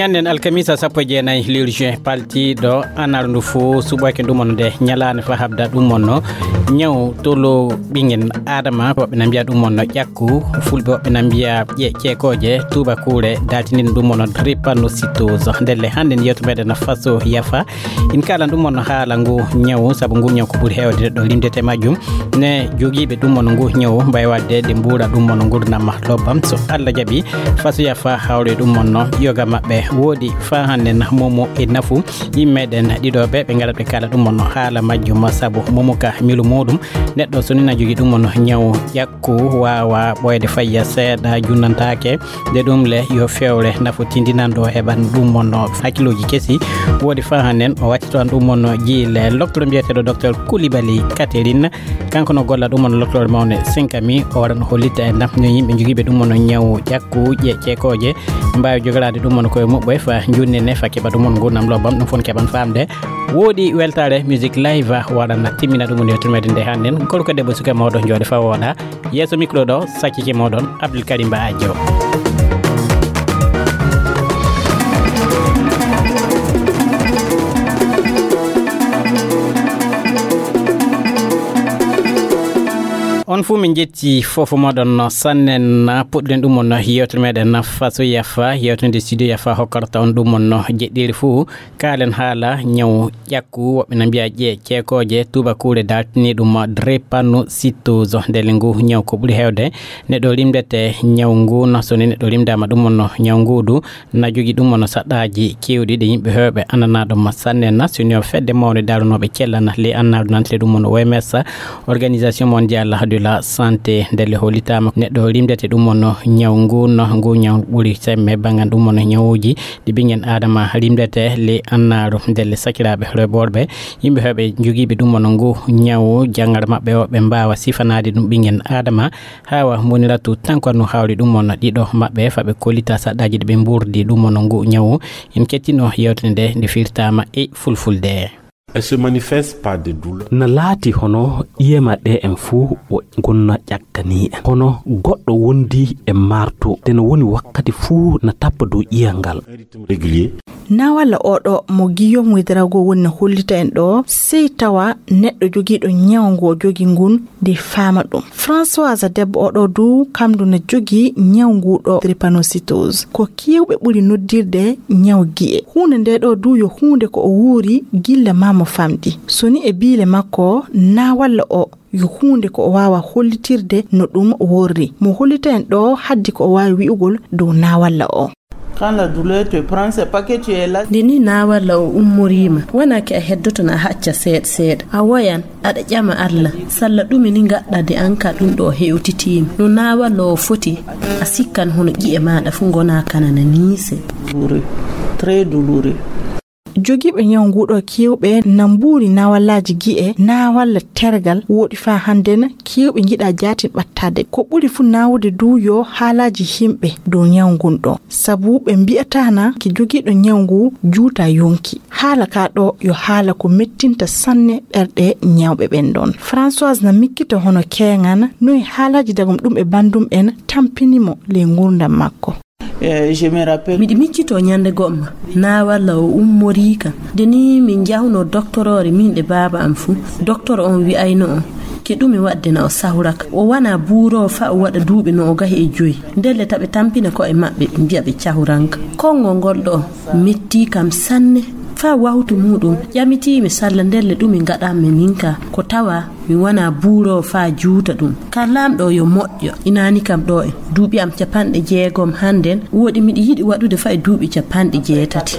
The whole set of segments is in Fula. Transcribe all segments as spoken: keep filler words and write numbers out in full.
Ñanden alkamisa sappo e jeenayi lewru juin paltiiɗo annaru ndu fof suɓoyke ɗum on nde ñalaande fa habda ɗum on no ñaw tolo ɓingen adama woɓɓe na mbiya ɗum on no ƴakku, fulɓe woɓɓe na mbiya ƴe ceekooje, tuubakuure daltinin ɗum on no drépanocytose. Ndelle hannde ndi yewto meɗen faso yafa in kaalan ɗum on no haala ngu ñaw sabu ngu ñaw ko ɓuri heewde ɗo limdete majjum. Ne jogiiɓe ɗum on ngu ñaw mbawi wadde ɗe mbuura ɗum on ngurdam ma lobbam so Allah jaɓi. Fasuya fa hawre ɗum on no yoga maɓɓe woodi fa hannde na momo e nafu yimmeɗen ɗiɗo ɓe ɓe ngarat ɓe kala ɗum on no haala majjum sabu momo ka milu muɗum. Neɗɗo so nina jogi ɗum on ñaw ƴakku wawa ɓoyde fayya seeɗa junnantake. Nde ɗum le yo fewre nafu tindinanɗo heɓan ɗum on no hakkiloji kesi. Woodi fa hannde o wattito an ɗum on no jiile loktoro mbiyeteɗo docteur Koulibaly Catherine. Kanko no golla ɗum on loklore mawne sinkami o waɗa no hollitta e ndam no yimɓe jogiiɓe ɗum on ñaw ƴakku ƴe ceekooje mbawi jogorade ɗum on koye muɓɓoy fa junnene fa keɓa ɗum on gurnam lobbam ɗum fof keɓan famde. Woodi weltare musique live waɗana timmina ɗum on yewtirmede nde hannden gorko debbo suka mawɗo jooɗe fa wooɗa yeeso micro ɗo sakkike moɗon Abdoul Karim Ba Ajo. On fuu min jetti fofo moɗon sannen puɗɗen ɗum on yewtere meɗen faso yafa yewtede studio yafa hokkata on ɗum on jeɗɗiri fuu. Kaalen haala ñaw ƴakku woɓɓe na mbiya ƴe ceekooje tuubakuure daltini ɗum drépanocytose ndele ngu ñaw ko ɓuri heewde neɗɗo rimdete ñaw ngu na soni neɗɗo rimdama ɗum on ñaw ngudu na jogi ɗum on saɗɗaji kewɗi ɗe yimɓe hewɓe ananaɗo ma sanne na soni o fedde mawde daranoɓe cellana le annaɗo nantire ɗum on oms organisation mondial de la santé ndele holitama neɗɗo rimdete ɗum on ñaw ngu no ngu ñaw ɓuri semme bangan ɗum on ñawuji ɗi ɓingen adama rimdete le annaru ndele sakiraɓe reɓorɓe yimɓe hewɓe jogiiɓe ɗum on ngu ñaw jangar maɓɓe o ɓe mbawa sifanaade ɗum ɓingen adama hawa mboniratu tankon no hawri ɗum on ɗiɗo maɓɓe fa ɓe kollita saɗɗaji ɗi ɓe mburdi ɗum on ngu ñaw. En kettino yewtere nde nde firtama e fulfulde. Elle se manifeste par des douleurs. Na laati hono ƴiye maɗɗe en fuu o gonna ƴakkani en hono goɗɗo wondi e marto te no woni wakkati fuu na tappa dow ƴiyal ngal. Régulier. Na walla oɗo mo Guillaume Ouédraogo woni no hollita en ɗo sey tawa neɗɗo jogiiɗo ñaw ngo jogi ngun nde faama ɗum. Françoise debbo oɗo du kamdu na jogi ñaw ngu ɗo drépanocytose ko kewɓe ɓuri noddirde ñaw gi'e. Huunde nde ɗo du yo huunde ko o wuuri gilla ma mo famɗi. So ni e biile makko na walla o yo huunde ko o waawa hollitirde no ɗum worri. Mo hollita en ɗo haddi ko o waawi wi'ugol dow na walla o. Quand la douleur te prend, c'est pas que tu es là. Nde ni na walla o ummoriima wonaa ke a heddoto na a hacca seeɗa seeɗa a woyan aɗa ƴama Allah salla ɗume ni ngaɗɗa de an ka ɗum ɗo hewtitiima no na walla o foti a sikkan hono ƴi'e maɗa fu ngona kanana niise. Douloureux. Très douloureux. Jogiiɓe ñaw nguɗo kewɓe na mbuuri nawallaaji gi'e na walla tergal woɗi fa hannden kewɓe njiɗa jaatin ɓattaade ko ɓuri fu nawude du yo haalaaji himɓe dow ñaw ngun ɗo sabu ɓe mbi'atana ki jogiiɗo ñaw ngu juuta yonki. Haala ka ɗo yo haala ko mettinta sanne ɓerɗe ñawɓe ɓen ɗon. Françoise na mikkita hono keeŋan noy haalaaji dagom ɗum e bandum en tampini mo ley ngurdam makko. Eh, je me rappelle. Miɗi miccito ñande go'ma na walla o ummoriika nde ni min njahunoo doktoroore min e baaba am fuu. Doktor on wi'ayno on ke ɗume waɗde na o sahuraka o wana buuroowo fa o waɗa duuɓi no o gahi e joyi. Ndelle ta ɓe tampina ko'e maɓɓe ɓe mbi'a ɓe cahuranka. Konngol ngol ɗo mettii kam sanne. Faa wahtu muuɗum ƴamitiimi salla ndelle ɗume ngaɗanmi min ka ko tawa mi wonaa buuroowo faa juuta ɗum. Ka Laamɗo yo moƴƴo, inaani kam ɗo e duuɓi am capanɗe jeegom hannden, wooɗi miɗi yiɗi waɗude faa e duuɓi capanɗe jeetati.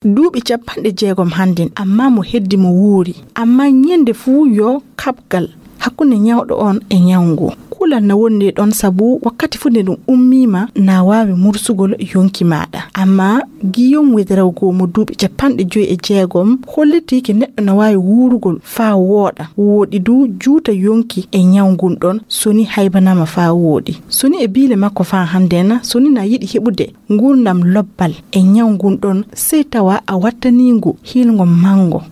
Duuɓi capanɗe jeegom hannden, ammaa mo heddi mo wuuri. Ammaa ñende fuu yo kaɓgal hakkunde ñawɗo on e ñaw ngu. Kulal na wondi ɗon sabu wakkati fuu nde ɗum ummiima na waawi mursugol yonki maaɗa. Ammaa Guillaume Ouédraogo mo duuɓi capanɗe joyi e jeegom hollitii ke neɗɗo na waawi wuurugol faa wooɗa, wooɗi du juuta yonki e ñaw ngun ɗon so ni haybanama faa wooɗi. So ni e biile makko faa hannden, so ni na yiɗi heɓude ngurdam lobbal e ñaw ngun ɗon, sey tawa a wattanii ngu hiilngo manngo.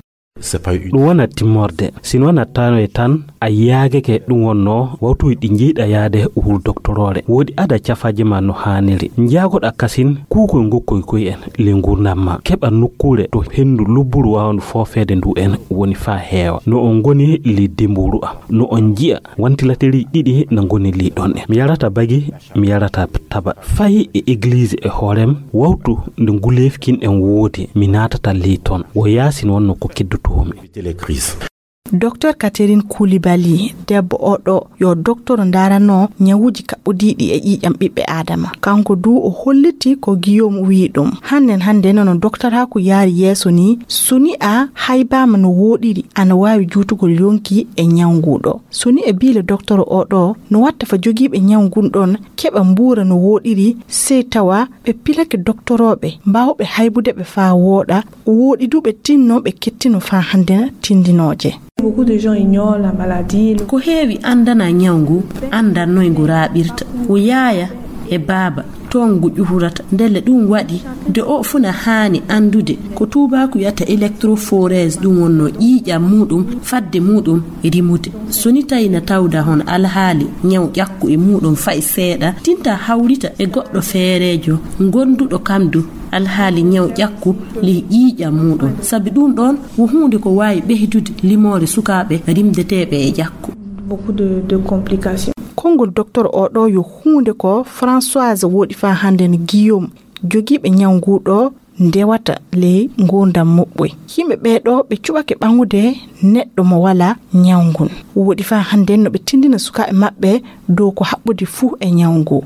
C'est pas une ɗum wona timmorde. Si no wona tano e tan, a yaagake ɗum wonnoo wawtuuji ɗi njeyɗa yaade wuro doktoroore. Woodi ada cafaaji ma no haaniri. Njaagoɗa kasin kuukoy ngokkoy koy en le nguurndam ma. Keɓa nokkuure to henndu lubburu waawandu foofeede ndu en woni faa heewa. No on ngoni le demburu am. No on nji'a wantilaterii ɗiɗi na ngoni le ɗon en. Mi yarata bagi, mi yarata taba. Fayi e egliise e hoorem, wawtu nde nguleefkin en woodi, mi naatata le ton. Wo yaasin wonno ko keddotoomi. Doktor Catherine Koulibaly, debbo oɗo yo doktoro ndaranoo ñawuuji kaɓɓodiiɗi e ƴiiƴam ɓiɓɓe Aadama. Kanko du o holliti ko Guillaume wi'i ɗum. Hannden hannden no doktoraaku yaari yeeso ni, so ni a haybaama no wooɗiri, ana waawi juutugol yonki e ñaw nguu ɗoo. So ni e biile doktoro oo ɗoo, no watta fa jogiiɓe ñaw ngun ɗon keɓa mbuura no wooɗiri, sey tawa ɓe pilake doktorooɓe mbaawɓe haybude ɓe faa wooɗa, wooɗi du ɓe tinno ɓe kettino faa hannden tindinooje. Beaucoup de gens ignorent la maladie. Ko heewi anndanaa ñaw ngu, anndaa noy ngu raaɓirta. Ko yaaya e baaba toon ngu ƴuhurata. Ndelle ɗum waɗi nde o fuu na haani anndude ko tuubaaku wiyata électrophorèse, ɗum wonnoo ƴiiƴam muuɗum, fadde muuɗum rimude. So ni tawi na tawda hono alhaali ñaw ƴakku e muuɗum fay seeɗa, tinta hawrita e goɗɗo feereejo gonduɗo kam du alhaali ñaw ƴakku ley ƴiiƴam muuɗum. Sabi ɗum ɗoon wo huunde ko waawi ɓeydude limoore sukaaɓe rimdeteeɓe e ƴakku. Beaucoup de, de complications. Konngol docteur oo ɗoo yo huunde ko Françoise woɗi faa hannden Guillaume jogiiɓe ñaw nguu ɗoo ndewata ley nguurndam muɓɓoy. Yimɓe ɓee ɗoo ɓe cuɓake ɓaŋude neɗɗo mo walaa ñaw ngun. Woɗi faa hannden no ɓe tindina sukaaɓe maɓɓe dow ko haɓɓodi fuu e ñaw nguu.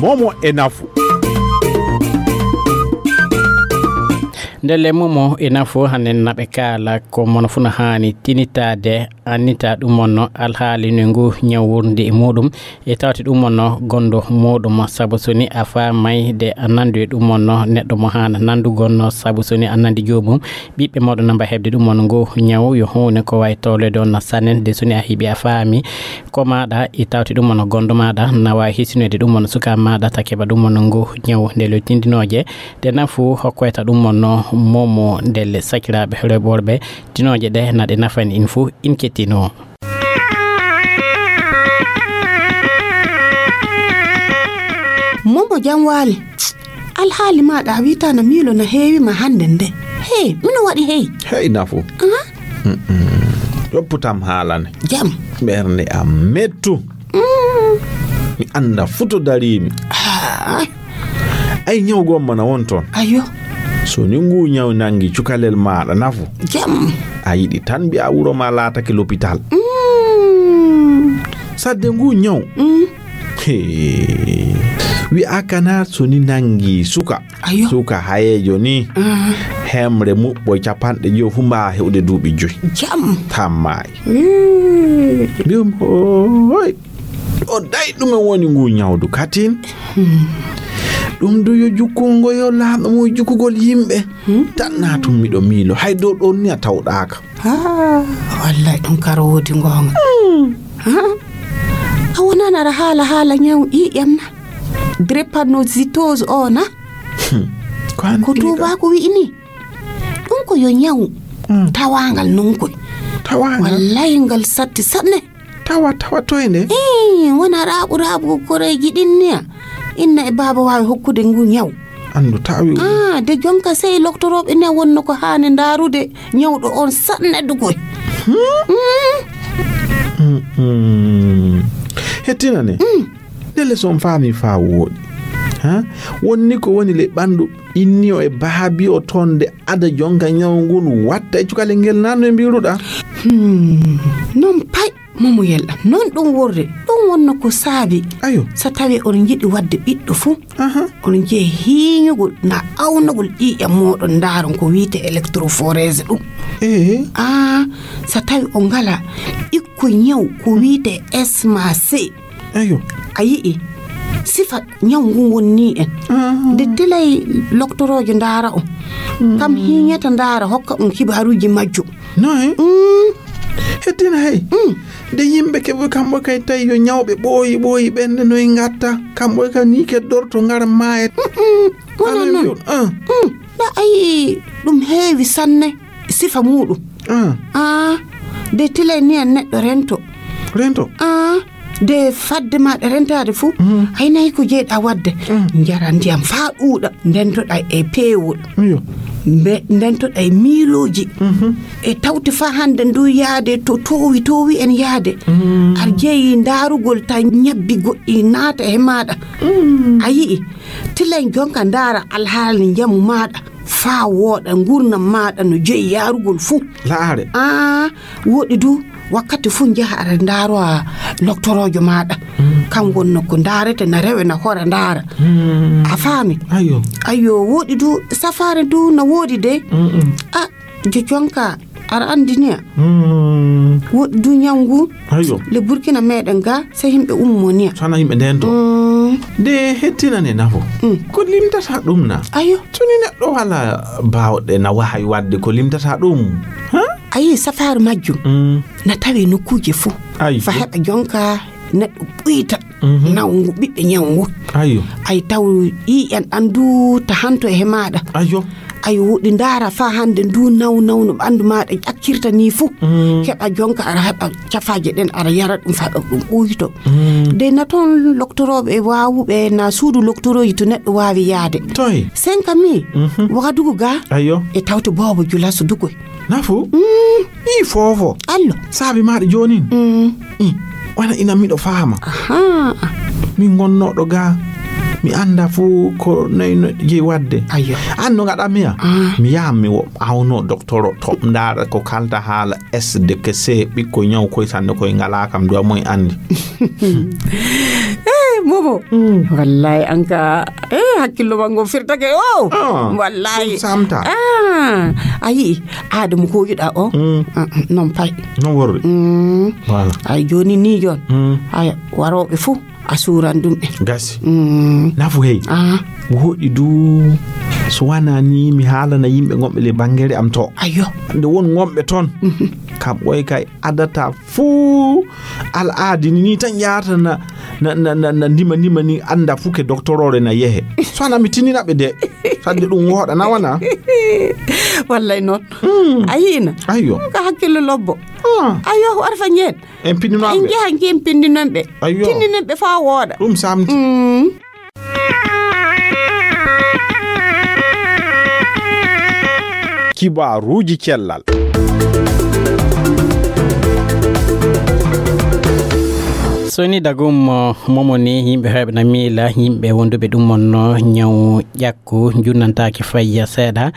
Momo e nafu. Ndelle momo e nafu hannen naɓe kaala ko mono fuu no haani tinitaade, annita ɗum wonno alhaali no ngu ñaw wurndi e muuɗum. E tawti ɗum wonno gondo muuɗum, sabu so ni a faamay de a nandu e ɗum wonno neɗɗo mo haana nandugol no, sabu so ni a nandi joomum, ɓiɓɓe mawɗo namba heɓde ɗum wonno ngu ñaw yo huune ko wawi towlede on na sanen de so ni a heɓi a faami ko maɗa, e tawti ɗum wonno gondo maɗa na wawi hisinoyde ɗum wonno suka maɗa ta keɓa ɗum wonno ngu ñaw nde lo tindinoje de nafu hokkoyta ɗum wonno momo ndelle sakiraɓe reɓorɓe tinoje ɗe na ɗe nafani in fuu in kettino. Momo jam waali. Alhaali maɗa a wita na miilo na heewi ma hande nde. Hey, mino waɗi hey. Hey nafu. Aha. Ɗopputam haalane. Jam. Ɓernde am mettu. Mi anda futo darimi. Ah. Ay ñaw gomma na won toon. Ayo. So ni ngu ñaw nangi cukalel maɗa nafu. Jam. A yiɗi tan mbiya wuro ma laatake l'hôpital. Mm. Sadde ngu ñaw. Mm. He. Wi'a kana so ni nangi suka. Ayo. Suka hayejo ni. Ah. Hemre muɓɓo capanɗe joyo fu mbawa heɓude duuɓi joyi. Jam. Tammayi. Mm. Mbiyum hoy. O day ɗume woni ngu ñawdu katin. Hmm. Ɗum du yo jukkungo yo laaɗo mo jukkugol yimɓe. Hmm. Tan na tun miɗo miilo hay dow ɗon ni a tawɗaaka. Ah, wallahi ɗum kara woodi ngoonga. Hmm. Ah, a wonan aɗa haala haala ñaw ƴiiƴam na. Drépanocytose o na. Hmm. Ko an ko ɗiɗo. Tuubaaku wi'i ni. Ɗum ko yo ñaw. Hmm. Tawaangal non koy. Tawaangal. Wallahi ngal satti sanne. Tawa, tawa toy nde? Ii, wona raaɓu, raaɓu koreeji ɗin niya. Inna e baaba waawi hokkude ngu ñaw. Anndu tawi. Ah, de jonka sey loktorooɓe ne wonno ko haani ndaarude ñawɗo on sanne dugoy. Hmm? Mm. Mm, mm. Hettina ne? Mm. Ndelle so on faami faa wooɗi. Ha? Wonni ko woni le ɓanndu inni o e baabi o toon de ada jonka ñaw ngun watta e cukale ngel nanno e mbiruɗa. Hmm. Non pay. Momoyel am, noon ɗum worde, ɗum wonno ko saabi. Ayo. So tawii on njiɗi waɗde ɓiɗɗo fuu, aha, on njehi hiiñugol na awnugol ƴiiƴam mooɗon, ndaaron ko wiyetee électrophorèse ɗum. Ee. Aa, so tawii on ngalaa ɓikkoy ñaw ko wiyetee S M A C. Ayo. A yi'i, sifa ñaw ngun wonnii en. Ah. Nde tilay loktoroojo ndaara on. Mm. Kam hiiñata ndaara hokka on kibaaruuji majjum. Noy? Mm. Hettina hey. Mm. De yimɓe keɓe kamɓe kay tawi yo ñawɓe ɓooyi ɓooyi ɓennde noy ngatta. Kamɓe ka ni keddorto ngara maaya. Mm-mm. Wona non. Ɗa ayi ɗum heewi sanne sifa muuɗum. Ah, de tilay niyan neɗɗo rento. Rento? Ah, de fadde maɗa rentaade fuu, ay nayi ko jeyɗa wadde. Njara ndiyam faa ɗuuɗa, ndentoɗa e peewol. Ndentoɗa e miilooji. E tawti faa hannde ndu yaade to toowi toowi en yaade. Ar jeyi ndaarugol ta ñabbi goɗɗi naata he maɗa. A yi'i, tilen jonka ndaara alhaali njamu maɗa. Faa wooɗa ngurnam maɗa no jeyi yaarugol fuu. Laare. Ah, woɗi du wakkati fuu njaha aɗa ndaarowa loktoroojo maɗa. Kam wonno ko ndaarete na rewe na hora ndaara. A faami? Ayyo. Ayyo, woɗi du safaare du na woodi de. A, jo jonka aɗa anndi niya. Woɗi du ñawngu. Ayyo. Le Burkina meɗen ga, se yimɓe ummo niya. Sana yimɓe ndento. De hettinane nafo. Ko limtata ɗum na? Ayyo. Tuni neɗɗo wala baawɗe na wahay wadde ko limtata ɗum. Ha? Ayi, safaaru majjum na tawi nokkuuje fuu. Ayi. Fa heɓa jonka neɗɗo ɓuyta nawngu ɓiɓɓe ñawngu. Ayyo. Ay taw ƴiiƴan ɗan du ta hanto e maɗa. Ayyo. Ay woɗi ndaara faa hannde ndu naw nawno ɓanndu maɗa ƴakkirta ni fuu. Heɓa jonka aɗa heɓa cafaaje ɗen aɗa yara ɗum faa ɗum ɓuyto. De na toon loktorooɓe e waawuɓe na suudu loktorooji to neɗɗo waawi yaade. Toy? Senka mi. Wagadugu ga. Ayyo. E tawte boobo julaso dugoy. Nafu? Ii foofo. Allo. Saabi maɗa joonin. Wana ina miɗo faama. Aha. Min ngonnooɗo ga mi annda fuu ko noyno jeyi wadde. Ayyo. An no ngaɗa miya? Mi yaha mi wo- awno doktoro to ndaara ko kalta haala s d k c ɓikko ñaw koy sannde koy ngala kam duwa moy anndi. Eh, momo. Wallahi anka, eh, hakkillo mango firtake o. Wallahi samta. Ah, ayi, aada mo ko yiɗa o. Non pay. Non worri. Voilà. Ay joni ni jon. Ay waroɓe fu a suran ɗum ɓe. Gasi. Nafu hey. Woɗi du so wana ni mi haalana yimɓe gonɓe le bangere am to. Ayo. Nde won gonɓe ton. Kam ɓoy kay adata fuu al'aadi ni, ni tan yaata na, na, na, na, na ndima, ndima ni annda fuu ke doktorore na yehe. So ana mi tinina ɓe de. Sadde ɗum woɗa na wana. Wallay noon. A yiina? Ayyo. Ka hakkille lobbo. Ayyo, arfa ñeen. En pinndino en ɓe. Njeha njehi en pinndino ɓe. Ayyo. Tinndinen ɓe faa wooɗa. Ɗum samti. Kibaaruuji cellal. Soni dagum momo ni yimɓe heɓe na miila yimɓe wonduɓe ɗum on no ñaw ƴakku junnantaaki fayya seeɗa.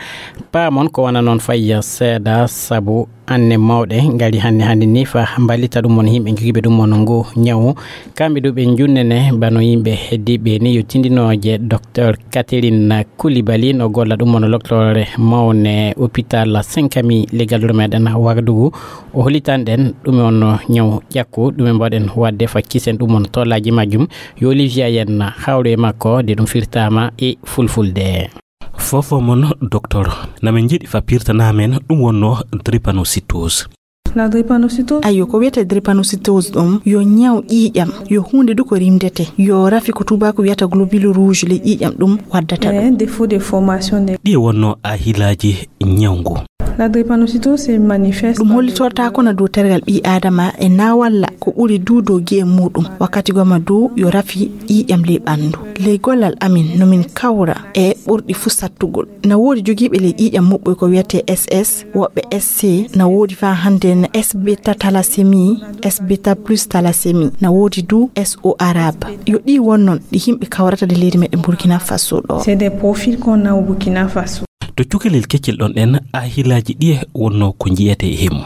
Paamon ko wana noon fayya seeɗa sabu anne mawɗe ngari hannde hannde ni fa mballita ɗum on yimɓe jogiiɓe ɗum on ngu ñawu. Kamɓe ɗo ɓe junnene bano yimɓe heddiiɓe ni yo tindinooje docteur Catherine Koulibaly no golla ɗum on loktore mawne hôpital Senkami leggal ɗo meɗen Wagadugu. O holitan ɗen ɗum on ñaw ƴakku ɗum en mbaɗen wadde faccisen ɗum on tollaji majjum. Yo Olivia yen hawru e makko de ɗum firtama e fulfulde. Fofo mon docteur, na min njiɗi fa pirtana men ɗum wonno drépanocytose. La drépanocytose. Ayo, ko wiyete drépanocytose ɗum yo ñaw ƴiiƴam, yo huunde du ko rimdete, yo rafi ko tubaako wiyata globule rouge le ƴiiƴam ɗum waddata ɗum. Eh, défaut de formation de. Ɗi wonno a hilaji ñawngu. La drépanocytose se manifeste. Ɗum hollitorta kono dow tergal ɓii aadama e na walla ko ɓuri du dow gi'e muɗum. Wakkati goma du yo rafi ƴiiƴam ley ɓanndu. Ley gollal amin no min kawra e ɓurɗi fuu sattugol. Na woodi jogiiɓe ley ƴiiƴam muɓɓoy ko wiyetee S S, woɓɓe S C, na woodi faa hannde na S beta thalassémie, S beta plus thalassémie, na woodi du S O arabe. Yo ɗii won noon ɗi yimɓe kawrata de leydi meɗen Burkina Faso ɗo. C'est des profils qu'on a au Burkina Faso. To cukalel keccel ɗon ɗen, a hilaaji ɗiye wonno ko njiyetee e mum?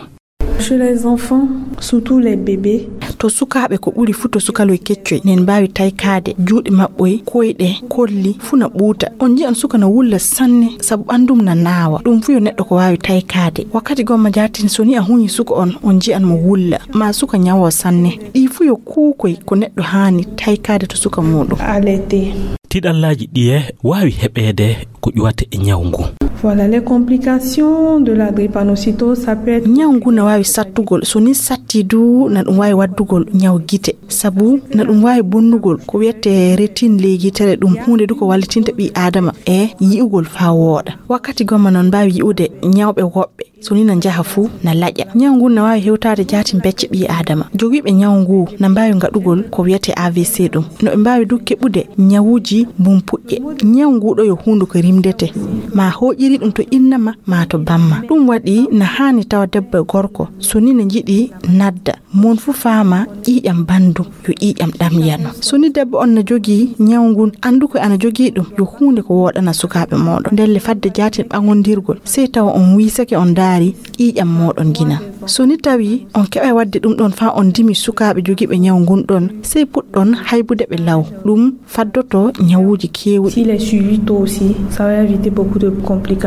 Chez les enfants, surtout les bébés. To sukaaɓe ko ɓuri fuu to sukaloy keccoy, nen mbaawi taykaade juuɗe maɓɓoy, koyɗe, kolli, fuu na ɓuuta. On nji'an suka na wulla sanne, sabu ɓanndum na naawa. Ɗum fuu yo neɗɗo ko waawi taykaade. Wakkati gomma jaatin so ni a huñi suka on, on nji'an mo wulla, maa suka ñawoo sanne. Ɗii fuu yo kuukoy ko neɗɗo haani taykaade to suka muuɗum. Alerté. Tiɗallaaji ɗiye waawi heɓeede ko ƴuwata e ñaw ngu? Voilà, les complications de la drépanocytose, ça peut être... Ñaw ngu na waawi sattugol. So ni satti du, na ɗum waawi waddugol ñaw gite. Sabu na ɗum waawi bonnugol ko wiyetee rétine ley yitere ɗum. Huunde du ko wallitinta ɓii aadama e yi'ugol faa wooɗa. Wakkati gomma noon mbaawi yi'ude ñawɓe woɓɓe. So ni na njaha fuu na laƴa. Ñaw ngun na waawi hewtaade jaatin becce ɓii aadama. Jogiiɓe ñaw ngu na mbaawi ngaɗugol ko wiyetee A V C ɗum. No ɓe mbaawi du keɓude ñawuuji mbumpuƴƴe. Ñaw ngu ɗo yo huunde ko rimdete. Ma hooƴiri ɗum to inna ma, ma to bamma. Ɗum waɗi na haani tawa debbo e gorko, so ni na njiɗi nadda, mon fuu faama ƴiiƴam banndum yo ƴiiƴam ɗamyano. So ni debbo on na jogii ñaw ngun, anndu ko ana jogii ɗum, yo huunde ko wooɗana sukaaɓe mooɗon. Ndelle fadde jaatin ɓaŋondirgol, sey tawa on wiisake, on ndaari ƴiiƴam mooɗon nginan. So ni tawi on keɓay waɗde ɗum ɗon faa on ndimi sukaaɓe jogiiɓe ñaw ngun ɗon, sey puɗɗon haybude ɓe law. Ɗum faddoto ñawuuji keewɗi. S'il est suivi tôt aussi, ça va éviter beaucoup de complications.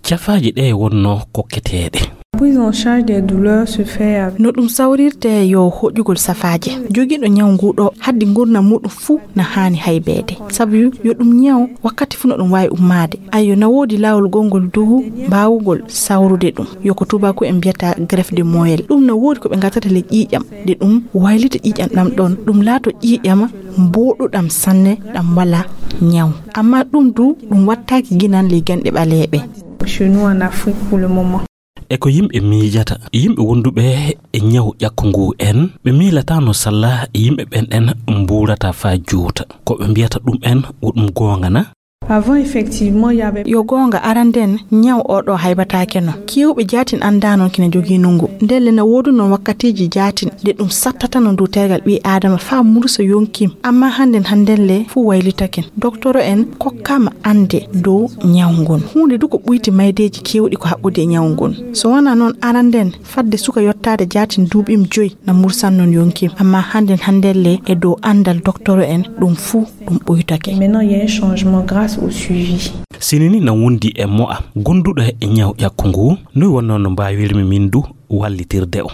Cafaaje ɗe wonno kokketeeɗe. Prise en charge des douleurs se fait avec... No ɗum sawrirte yo hoƴugol safaaje. Jogiiɗo ñaw ngu ɗo, haddi ngurndan muuɗum fuu na haani haybeede. Sabu yo ɗum ñaw, wakkati fuu no ɗum waawi ummaade. Ayyo, na woodi laawol gongol du mbaawugol sawrude ɗum. Yo ko tuubaaku en mbiyata greffe de moelle. Ɗum na woodi ko ɓe ngatata ley ƴiiƴam, de ɗum waylita ƴiiƴam ɗam ɗon, ɗum laato ƴiiƴam mbooɗuɗam sanne, ɗam walaa ñaw. Amma ɗum du, ɗum wattaaki ginan ley genɗe ɓaleeɓe. Chez nous en Afrique pour le moment. E ko yimɓe miijata, yimɓe wonduɓe e ñaw ƴakku ngu en, ɓe miilataano salla yimɓe ɓen ɗen mbuurata faa juuta. Ko ɓe mbiyata ɗum en, wo ɗum goonga na? Avant, effectivement, il y avait... Yo goonga, aranden, ñaw oo ɗoo haybataake no. Keewɓe jaatin anndaano kina jogii nungu. Ndelle na woodunoo wakkatiiji jaatin ɗe ɗum sattatano dow tergal ɓii aadama faa mursa yonki. Amma hannden, hannden le fuu waylitake. Doktoro en kokkaama annde dow ñaw ngun. Huunde du ko ɓuyti maydeeji keewɗi ko haɓɓude e ñaw ngun. So wanaa non, aranden, fadde suka yottaade jaatin duuɓi mum joy na mursan non yonki. Amma hannden, hannden le e dow anndal doktoro en, ɗum fuu ɗum ɓuytake. Maintenant, il y a un changement grâce au suivi. Sinini na wondi e mo'a gonduɗo e ñaw ƴakku ngu, noy wonno no mbaawirmi min du wallitirde o?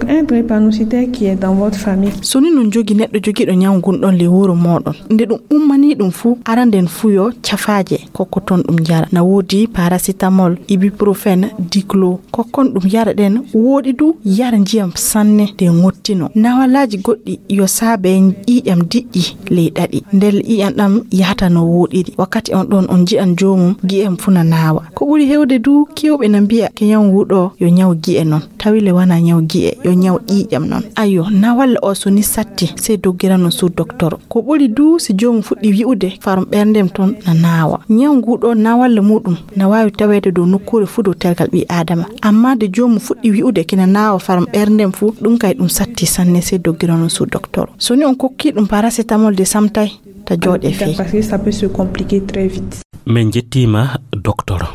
Un drépanocytaire qui est dans votre famille. So ni no jogi neɗɗo jogiiɗo ñaw ngun ɗon ley wuro mooɗon, nde ɗum ummanii ɗum fuu, aranden fuu yo cafaaje kokkoton ɗum jara. Na woodi paracétamol, ibuprofène, diclo. Kokkon ɗum yara ɗen, woodi du yara njiyam sanne de ŋottino. Nawalaaji goɗɗi yo saabe ƴiiƴam diƴƴi ley ɗaɗi. Ndelle ƴiiƴam ɗam yahata no wooɗiri. Wakkati on ɗon on nji'an joomum gi'e am fuu na naawa. Ko ɓuri hewde du, keewɓe na mbi'a ke ñaw ngu ɗo yo ñaw gi'e non. Tawi le wanaa ñaw gi'e, yo ñaw ƴiiƴam non. Ayyo, nawalla o so ni satti, sey doggiran on suudu doktoro. Ko ɓuri du si joomum fuɗɗi wi'ude farum ɓerndem ton na naawa. Ñaw ngu ɗo nawalla muuɗum na waawi taweede dow nokkuure fuu dow tergal ɓii aadama. Amma de joomum fuɗɗi wi'ude kina naawa farum ɓerndem fuu, ɗum kay ɗum satti sanne, sey doggiran on suudu doktoro. So ni on kokkii ɗum paracétamol de samtay, ta jooɗe fey. Parce que ça peut se compliquer très vite. Min njettiima, doktoro.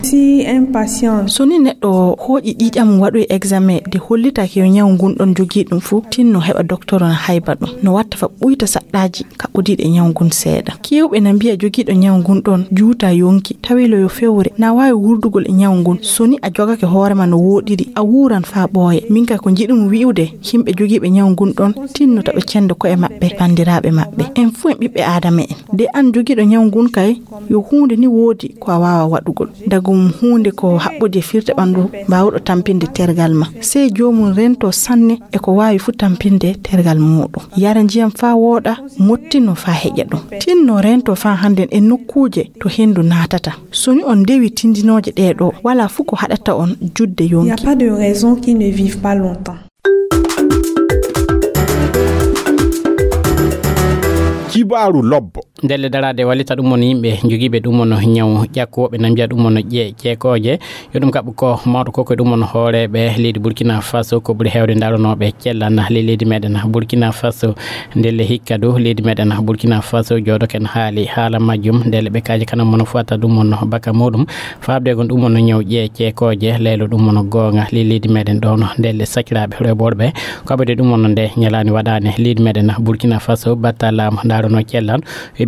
Si un patient... So ni neɗɗo hooƴi ƴiiƴam mum waɗoyi examen de hollitaake yo ñaw ngun ɗon jogii ɗum fuu, tinno heɓa doktoro na hayba ɗum. No watta fa ɓuyta saɗɗaaji kaɓɓodiiɗi e ñaw ngun seeɗa. Keewɓe na mbi'a jogiiɗo ñaw ngun ɗon juuta yonki, tawi lo yo fewre, na waawi wurdugol e ñaw ngun. So ni a jogake hoore ma no wooɗiri, a wuuran faa ɓooya. Min kay ko njiɗumi wi'ude, yimɓe jogiiɓe ñaw ngun ɗon, tinno ta ɓe cendo ko'e maɓɓe, banndiraaɓe maɓɓe. En fuu en ɓiɓɓe aadama en. De an jogiiɗo ñaw ngun kay, yo huunde ni woodi ko a waawa waɗugol. Dagu mum huunde ko haɓɓude e firte ɓanndu mbaawɗo tampinde tergal ma. Sey joomum rento sanne e ko waawi fuu tampinde tergal muuɗum. Yara njiyam faa wooɗa, ŋottino faa heƴa ɗum. Tinno rento faa hannden e nokkuuje to henndu naatata. So ni on ndewi tindinooje ɗee ɗoo, walaa fuu ko haɗata on juutde yonki. Il n'y a pas de raison qu'ils ne vivent pas longtemps. Kibaaru lobbo. Ndelle daraade wallita ɗum on yimɓe jogiiɓe ɗum on ñaw ƴakku, woɓɓe na mbiya ɗum on ƴe-, ƴeekooje. Yo ɗum kaɓɓu ko mawɗo ko, ko ɗum on hooreeɓe leydi Burkina Faso, ko ɓuri heewde ndaronooɓe cellal ley leydi meɗen Burkina Faso. Ndelle hikka du leydi meɗen Burkina Faso jooɗoken haali haala majjum. Ndelle ɓe kaaji kanam mono fota ɗum on baka muɗum. Faabde gon ɗum on ñaw ƴe-, ƴeekooje, leylo ɗum on goonga ley leydi meɗen ɗoon. Ndelle sakiraaɓe rewɓe worɓe, ko aɓɓude ɗum on nde ñalaani waɗaani leydi meɗen Burkina Faso, batta laamu ndarono cellal.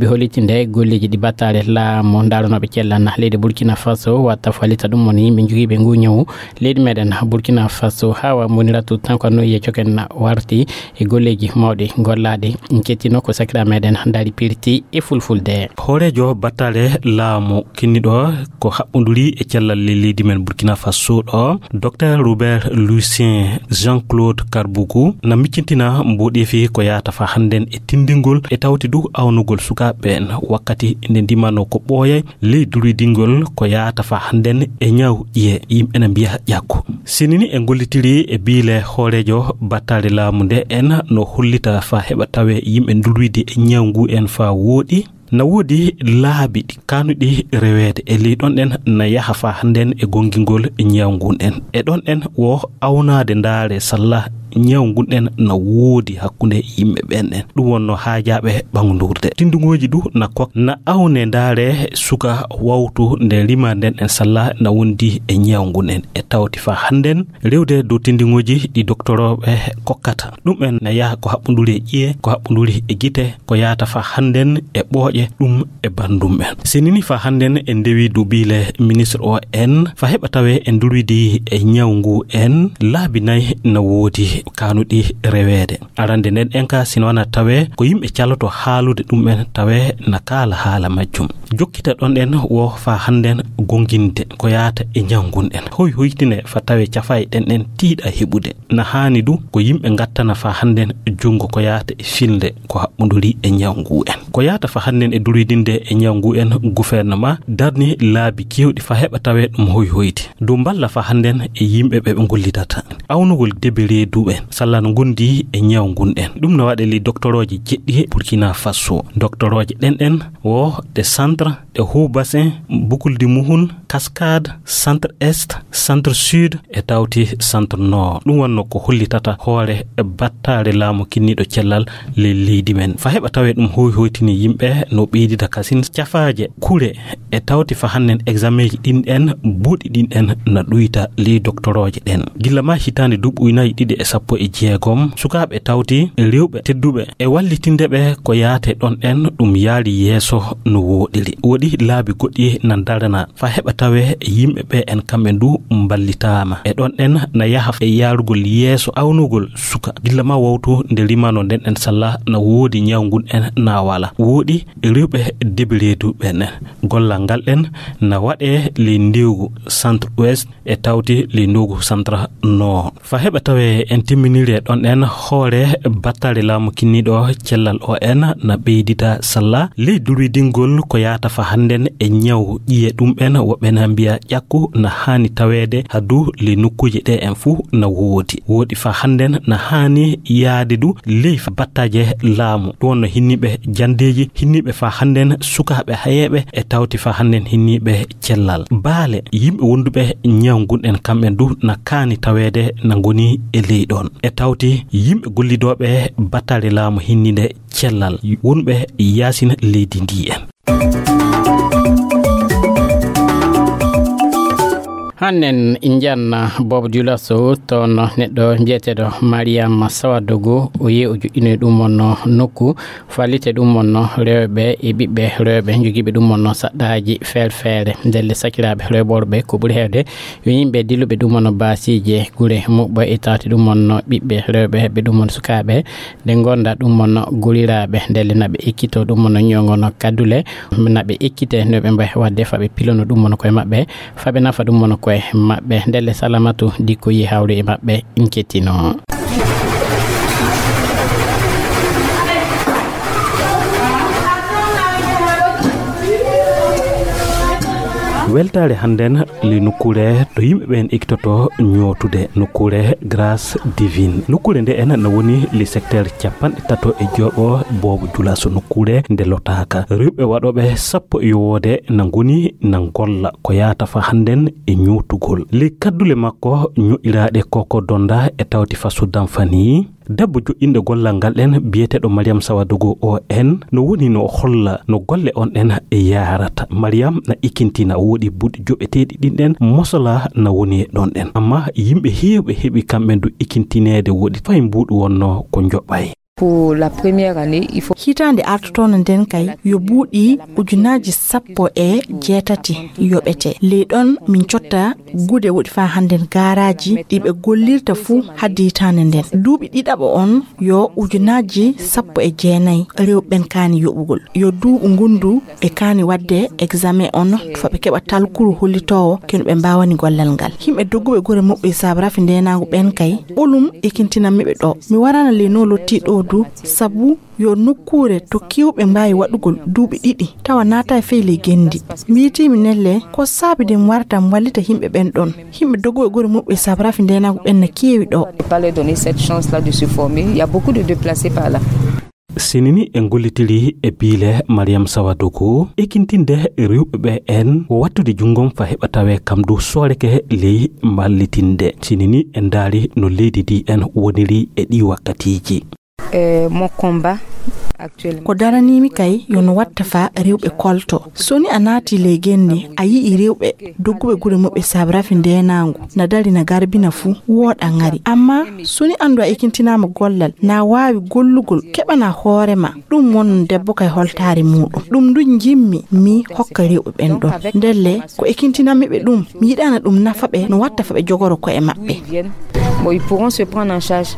hollitinde golleeji ɗi battale laamu ndaranooɓe cellal leydi Burkina Faso watta fallita ɗum woni yimɓe jogiiɓe ngu ñawu leydi meɗen Burkina Faso. Hawa Muniratu Tanko no yiye coken warti e golleeji mawɗi gollaaɗi. Kettino ko sakira meɗen Dari Pirti e fulfulde. Hooreejo battale laamu kinniɗo ko haɓɓunduri e cellal leydi men Burkina Faso ɗo, Docteur Robert Lucien Jean-Claude Karbougou na miccintina mboɗeefi ko yaata fa hannden e tindingol e tawti du awnugol sukaaɓe ɓen wakkati nde ndimano ko ɓooyay ley dulidingol ko yaata fa hannden e ñaw ƴiye yimɓe na mbiya ƴakku. Sinini e ngollitiri e biile hooreejo battale laamu nde en no hollita fa heɓa tawe yimɓe ndulwidi e ñaw ngu en fa wooɗi. Na woodi laabi ɗi kanuɗi reweede e ley ɗon ɗen na yaha fa hannden e gongingol ñaw ngun en. E ɗon ɗen wo awnaade ndaare salla ñaw ngun en na woodi hakkunde yimɓe ɓen ɗen. Ɗum wonno haajaaɓe ɓangundurde. Tindungooji du na kok-, na awne ndaare suka wawtu nde rima nden en salla na wondi e ñaw ngun en. E tawti fa hannden rewde dow tindungooji ɗi doktorooɓe kokkata. Ɗum en na yaha ko haɓɓunduri e ƴiye, ko haɓɓunduri e gite, ko yaata fa hannden e ɓooƴe, ɗum e banndum en. Sinini fa hannden e ndewi dubiile ministre o en, fa heɓa tawe e ndurwidi e ñaw ngu en, laabi nay na woodi kanuɗi reweede. Arande nden en ka sino wana tawe ko yimɓe caloto haalude ɗum en tawe na kaala haala majjum. Jokkita ɗon en wo fa hannden gonginde ko yaata e ñaw ngun en. Hoy hoytine fa tawe cafay ɗen en tiiɗa heɓude. Na haani du ko yimɓe ngattana fa hannden junngo ko yaata e filnde ko haɓɓunduri e ñaw ngu en. Ko yaata fa hannden e duridinde e ñaw ngu en, gouvernement darni laabi keewɗi fa heɓa tawe ɗum hoy hoyti. Dow mballa fa hannden e yimɓe ɓe ɓe ngollitata. Awnugol debe reedu en, salla no ngondi e ñaw ngun en. Ɗum no waɗe li doktorooje jeɗɗi Burkina Faso. Doktorooje ɗen ɗen wo ɗe centre, ɗe haut bassin, Boucle du Mouhoun, Cascade, centre est, centre sud, e tawti centre nord. Ɗum wonno ko hollitata hoore battaare laamu kinniiɗo cellal ley leydi men. Fa heɓa tawe ɗum hoy hoytini yimɓe no ɓeydita kasin cafaaje kure e tawti fa hannden examen ji ɗin en buuɗi ɗin en na ɗuyta ley doktorooje ɗen. Gilla ma hitaande duuɓi ujunaaji ɗiɗi e sappo e jeegom, sukaaɓe tawti rewɓe tedduɓe e wallitinde ɓe ko yaate ɗon en ɗum yaari yeeso no wooɗiri. Woɗi laabi goɗɗi na darana fa heɓa tawe yimɓe ɓe en kamɓe ndu mballitaama. E ɗon en na yaha e yaarugol yeeso awnugol suka. Gilla ma wawtu nde rimano nden en salla na woodi ñaw ngun en na wala. Woɗi rewɓe debireedu ɓen. Gollal ngal en na waɗe ley ndewgu centre ouest e tawti ley ndewgu centre nord. Fa heɓa tawe en timminiri e ɗon en hoore battale laamu kinniiɗo cellal o en na ɓeydita salla ley durwidingol ko yaata fa hannden e ñaw ƴiye ɗum en woɓɓe na mbiya ƴakku na haani taweede hadu ley nokkuuje ɗe en fuu na woodi. Woodi fa hannden na haani yaade du ley battaaje laamu. Ɗum wonno hinniiɓe janndeeji, hinniiɓe fa hannden sukaaɓe hayeeɓe e tawti fa hannden hinniiɓe cellal. Baale yimɓe wonduɓe ñaw ngun en kamɓe du na kaani taweede na ngoni e ley ɗon. E tawti yimɓe gollidooɓe battale laamu hinninde cellal wonɓe yaasin leydi ndi en. Hannen njanna Bobo Dioulasso toon neɗɗo mbiyeteeɗo Mariama Sawadogo, o yehi o joɗɗinoyi ɗum wonno nokku fallite ɗum wonno rewɓe e ɓiɓɓe rewɓe jogiiɓe ɗum wonno saɗɗaaji feere feere. Ndelle sakiraaɓe rewɓe worɓe ko ɓuri heewde yo yimɓe dilluɓe ɗum wonno baasiije gure muɓɓo e tawti ɗum wonno ɓiɓɓe rewɓe heɓɓe ɗum wonno sukaaɓe nde ngonda ɗum wonno guriraaɓe ndelle naɓe ekkito ɗum wonno ñogono kaddule naɓe ekkite no ɓe mbawi wadde faɓe pilono ɗum wonno koye maɓɓe faɓe nafa ɗum wonno koye maɓɓe ndelle Salamatu Dikko yi hawri e maɓɓe. Nkettino. Weltaare hannden le nokkuure to yimɓe ɓen ekitoto ñootude nokkuure Grâce Divine. Nokkuure nde ena na woni le secteur capanɗe tato e joɓo Bobo Dioulasso nokkuure nde lotaaka. Rewɓe waɗooɓe sappo e yowoode na ngoni na ngolla ko yaata fa hannden e ñootugol. Le kaddule makko ño'iraaɗe koko donda e tawti fa Soudan fani. Debbo joɗɗinɗo gollal ngal ɗen biyeteeɗo Mariam Sawadogo O N no woni no holla no golle on ɗen e yaarata. Mariam na ikintina woɗi buuɗi joɓeteeɗi ɗin ɗen mosola na woni e ɗon ɗen. Amma yimɓe heewɓe heɓi kamɓe du ikintineede woɗi fay mbuuɗu wonno ko joɓay. Pour la première année, il faut... Hitaande artotoono nden kay, yo buuɗi ujunaaji sappo e jeetati yoɓete. Ley ɗon min cotta gude woɗi faa hannden gaaraaji ɗi ɓe gollirta fuu haddi hitaande nden. Duuɓi ɗiɗaɓo on yo ujunaaji sappo e jeenayi rewɓe ɓen kaani yoɓugol. Yo duuɓu ngundu ɓe kaani waɗde examen on, fa ɓe keɓa talkuru hollitoowo kenu ɓe mbaawani gollal ngal. Yimɓe dogguɓe gure muɓɓe saabu rafi ndeenaangu ɓen kay, ɓolum ekintinammi ɓe ɗo. Mi waraana ley no lottii ɗo du, sabu yo nokkuure to kewɓe mbaawi waɗugol duuɓi ɗiɗi, tawa naata e fey ley genndi. Mbiitiimi nelle, ko saabi de mi warata mi wallita yimɓe ɓen ɗon. Yimɓe dogguɓe gure muɓɓe saabu rafi ndeenaangu ɓen na keewi ɗo. Pas leur donner cette chance-là de se former. Il y a beaucoup de déplacés par là. Sinini en gollitiri e biile Mariam Sawadogo, ekintinde rewɓe ɓe en ko wattude junngom fa heɓa tawe kam du sooreke ley mballitinde. Sinini en ndaari no leydi ndi en woniri e ɗi wakkatiiji. Euh, mon combat actuellement. Ko daraniimi kay yo no watta fa rewɓe kolto. So ni a naati ley genndi, a yi'i rewɓe dogguɓe gure muɓɓe saabu rafi ndeenaangu na dari na garbina fuu, wooɗa ŋari. Amma so ni anndu a ekintinaama gollal, na waawi gollugol, keɓana hoore ma, ɗum won debbo kay holtaare muuɗum. Ɗum du njimmi mi hokka rewɓe ɓen ɗon. Ndelle ko ekintinammi ɓe ɗum, mi yiɗaana ɗum nafa ɓe no watta fa ɓe jogoro ko'e maɓɓe. Bon, ils pourront se prendre en charge.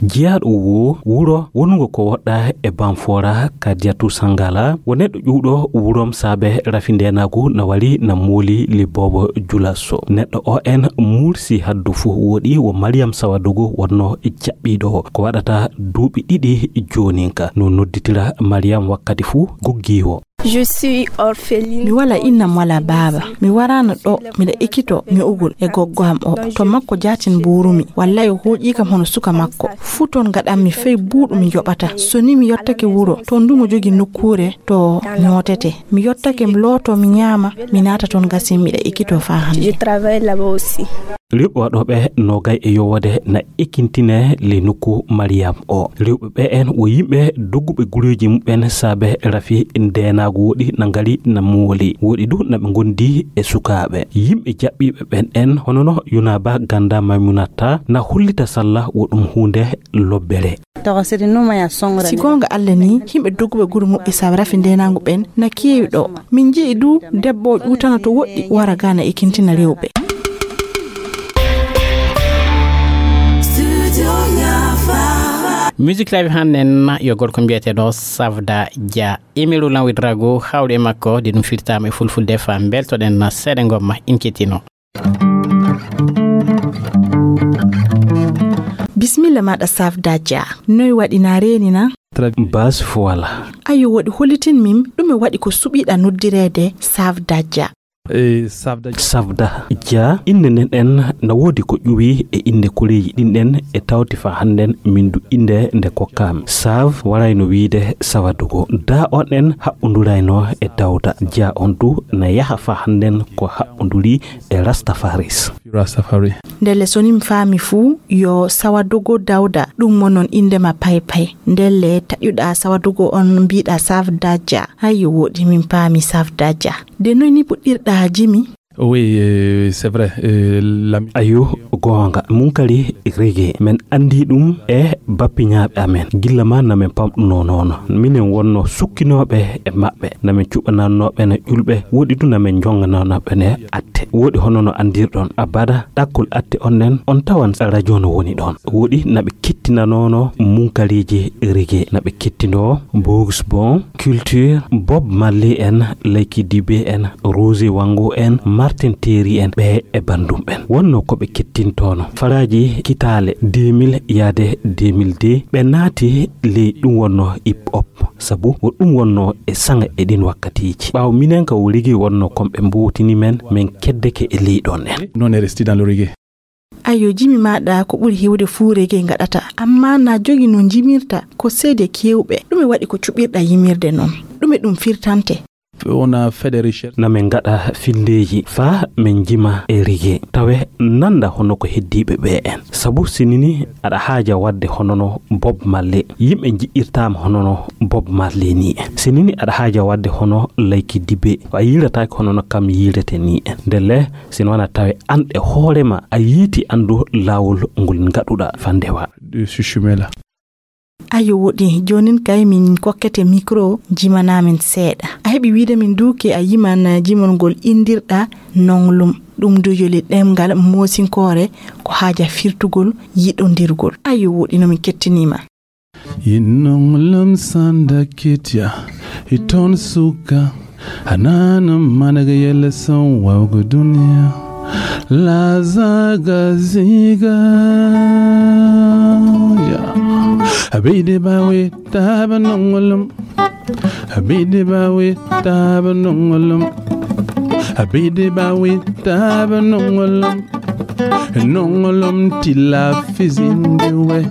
Jeyaaɗo wo wuro wonungo ko woɗɗa e Banfora, Kadiatou Sangala, wo neɗɗo ƴuwɗo wurom saabe rafi ndeenaagu na wari na mooli li boobo julaso. Neɗɗo o en mursi haddu fuu, woɗi wo Mariam Sawadogo wonno jaɓɓiiɗo o. Ko waɗata duuɓi ɗiɗi jooninka. No nodditira Mariam wakkati fuu goggiiwo. Je suis orpheline. Mi wala innam wala baaba. Mi waraana ɗo, miɗa ekkito ño'ugol e goggo am o. To makko jaatin mbuurumi. Wallay o hooƴii kam hono suka makko. Fuu toon ngaɗammi fey buuɗu mi yoɓata. So ni mi yottake wuro, toon du mo jogi nokkuure to ñootete. Mi yottake mi looto mi ñaama, mi naata toon gasin miɗa ekkito faa hannde. Je travaille là-bas aussi. Rewɓe waɗooɓe noogay e yowoode na ekintine ley nokku Mariam o. Rewɓe ɓe en wo yimɓe dogguɓe gureeji muɓɓen saabe rafi ndeenaagu woɗi na ngari na mooli. Woɗi du na ɓe ngondi e sukaaɓe. Yimɓe jaɓɓiiɓe ɓen en hono no Yunaba Ganda Maimunata na hollita salla wo ɗum huunde lobbere. Si goonga Alla ni, yimɓe dogguɓe gure muɓɓe saabe rafi ndeenaangu ɓen na keewi ɗo. Min nji'i du debbo o ƴuutana to woɗɗi wara ga na ekintina rewɓe. Musique live hannde en yo gorko mbiyeteeɗo Savda Dia. Imiru lan witrago hawri e makko de ɗum firtaama e fulfulde fa mbeltoɗen seeɗa ngomma in kettino. Bismilla maɗa Savda Dia. Noy waɗi na reeni na? Bas fo wala. Ayo woɗi hollitin min ɗume waɗi ko suɓiɗa noddireede Savda Dia. Savda Dia innde nden en na woodi ko ƴuwi e innde koreeji ɗin ɗen e tawti fa hannden min du innde nde kokkaami. Sav warayno wiide Sawadugo. Da on en haɓɓundurayno e Dawda. Dia on du na yaha fa hannden ko haɓɓunduri e Rastafaris. Rastafari. Ndelle so ni mi faami fuu yo Sawadogo Dawda ɗum wonon innde ma paypay. Ndelle taƴuɗa Sawadogo on mbiɗa Savda Dia. Ayyo woɗi min paami Savda Dia. De noy ni puɗɗirɗa jimi? Oui, euh, c'est vrai. Euh, la... Ayo, goonga. Munkari rege. Men anndi ɗum e bappiñaaɓe amen. Gilla ma na men pamɗuno noon. Minen wonno sukkinooɓe e maɓɓe. Na men cuɓanannooɓe ne ƴulɓe. Woɗi du na men njonganannooɓe ne atte. Woɗi hono no anndirɗon. Abada, ɗakkol atte on nen, on tawan radio no woni ɗon. Woɗi na ɓe kettinanoono munkariiji rege. Na ɓe kettinoo Bugs Bon, Culture, Bob Marley en, Lucky Dube en, Roger Wango en, Martin Terry en, ɓe e banndum ɓen. Wonno ko ɓe kettintoono. Faraaji kitaale deux mille yaade deux mille deux, ɓe naati ley ɗum wonno hip hop. Sabu ko ɗum wonno e saŋa e ɗin wakkatiiji. Ɓaawo minen ka o reggae wonno kon ɓe mbowtini men, men keddeke e ley ɗon en. Non, est resté dans le reggae. Ayo, jimi maɗa ko ɓuri hewde fuu reggae ngaɗata, amma na jogi no jimirta ko seede kewɓe. Ɗume waɗi ko cuɓirɗa yimirde non? Ɗume ɗum firtante? On a fait des recherches. Na men ngaɗa findeeji faa men jima e reggae. Tawe nanda hono ko heddiiɓe ɓe en. Sabu sinini aɗa haaja waɗde hono no Bob Marley. Yimɓe njiɗirtaama hono no Bob Marley ni en. Sinini aɗa haaja waɗde hono Lucky Dube. A yiirataake hono no kam yiirete ni en. Ndelle Sino wona tawe an e hoore ma a yiiti anndu laawol ngol ngaɗuɗa fa ndewa. De ce chemin-là. Ayo woɗi, joonin kay min kokkete mikro, jimana min seeɗa. A heɓi wiide min du ke a yiman jimol ngol indirɗa nonglum. Ɗum du yoli ɗemngal moosinkoore ko haaja firtugol yiɗondirgol. Ayo woɗi no min kettinima. Yinnongolom sanda ketya, iton suka, anana managa yele son wawga dunia. Lazaga ziga, ya. Abidi bawe taba nongolom. Abidi bawe taba nongolom. Abidi bawe taba nongolom. Nongolom tila fizindi we.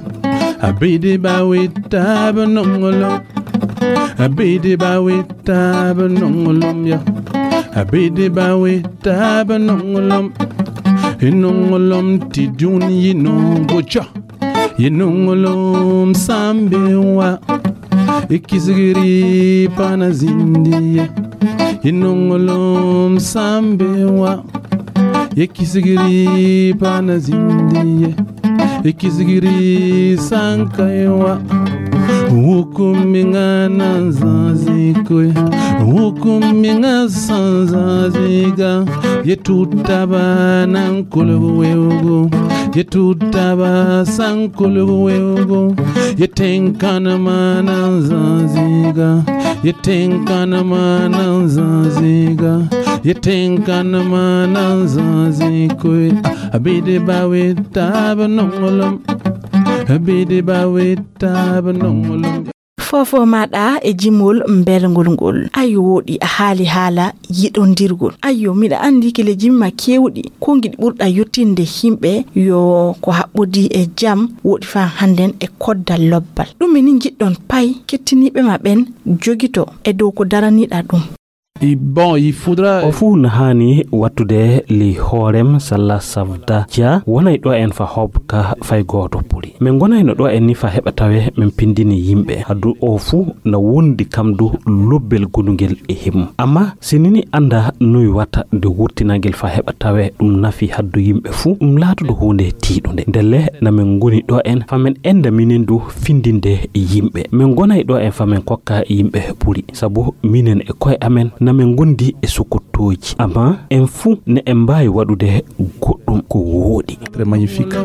Abidi bawe taba nongolom. Abidi bawe taba nongolom ya. Abidi bawe taba nongolom. Nongolom ti dun yinongo cha. Yinongolom sambe wa. Ikisigiri pana zindiye. Yinongolom sambe wa. Ikisigiri pana zindiye. Ikisigiri sankaiwa. Wukuminga nanzazikwe. Wukuminga sanzaziga. Yetutaba nankulugu weugu. Yetutaba sankulugu weugu. Yetenkanama nanzaziga. Yetenkanama nanzaziga. Yetenkanama nanzazikwe. Abidi bawe taba nongolom. Abidi bawe taba nongolom. Fofo maɗa e jimol mbelngol ngol. Ayo woɗi a haali haala yiɗondirgol. Ayo miɗa andi kile jimma kewɗi. Ko ngiɗi ɓurɗa yottinde himɓe yo ko haɓɓodi e jam woɗi fa hannden e koddal lobbal. Ɗum eni jiɗɗon pay kettiniiɓe ma ɓen jogito e dow ko daraniɗa ɗum. I bon, il faudra O fuu na haani wattude ley hoorem salla safda ja wonay ɗo en fa hob ka fay gooto puri. Min ngonayno ɗo en ni fa heɓa tawe min pindini yimɓe. Hadu o fuu na wondi kam du lobbel gondungel e himum. Amma si nini anda noy watta de wurtinangel fa heɓa tawe ɗum nafi haddu yimɓe fuu, ɗum laatudu huunde tiiɗunde. Ndelle na min ngoni ɗo en fa min enda minen du findinde yimɓe. Min ngonay ɗo en fa min kokka yimɓe puri. Sabu minen e koye amen na min ngondi e sukkuttooji. Amma en fuu ne en mbaawi waɗude goɗɗum ko wooɗi. Très magnifique.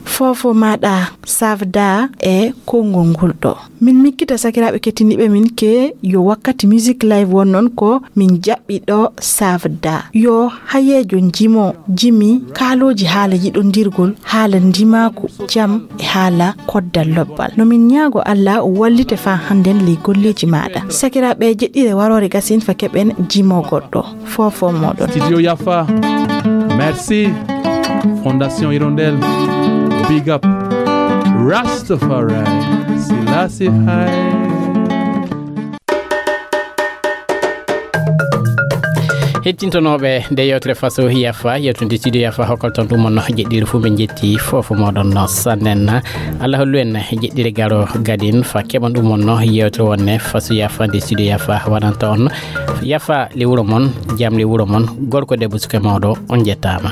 Fofo maɗa safda e konngol ngol ɗo. Min mikkita sakiraaɓe kettiniiɓe min ke yo wakkati Music Live won noon ko min jaɓɓi ɗo safda. Yo hayeejo jimo, jimi kaalooji haala yiɗondirgol, haala ndimaaku, jam e haala koddal lobbal. No min ñaago Allah o wallite faa hannden ley golleeji maɗa. Sakiraaɓe jeɗɗire waroore gasin fa keɓen jimo goɗɗo. Fofo moɗon. Studio Yafa. Merci. Fondation Hirondelle. Big up. Rastafari. Selassie high. Hettintonooɓe nde yewtere faso yafa yewtude studio yafa hokkal ton ɗum on jeɗɗiri fuu ɓe jetti fofo moɗon no sannen. Allah hollu en jeɗɗiri garo gadin fa keɓon ɗum on no yewtere wonne faso yafa nde studio yafa wananta on. Yafa le wuro mon, jam le wuro mon, gorko debbo suka mawɗo, on jettaama.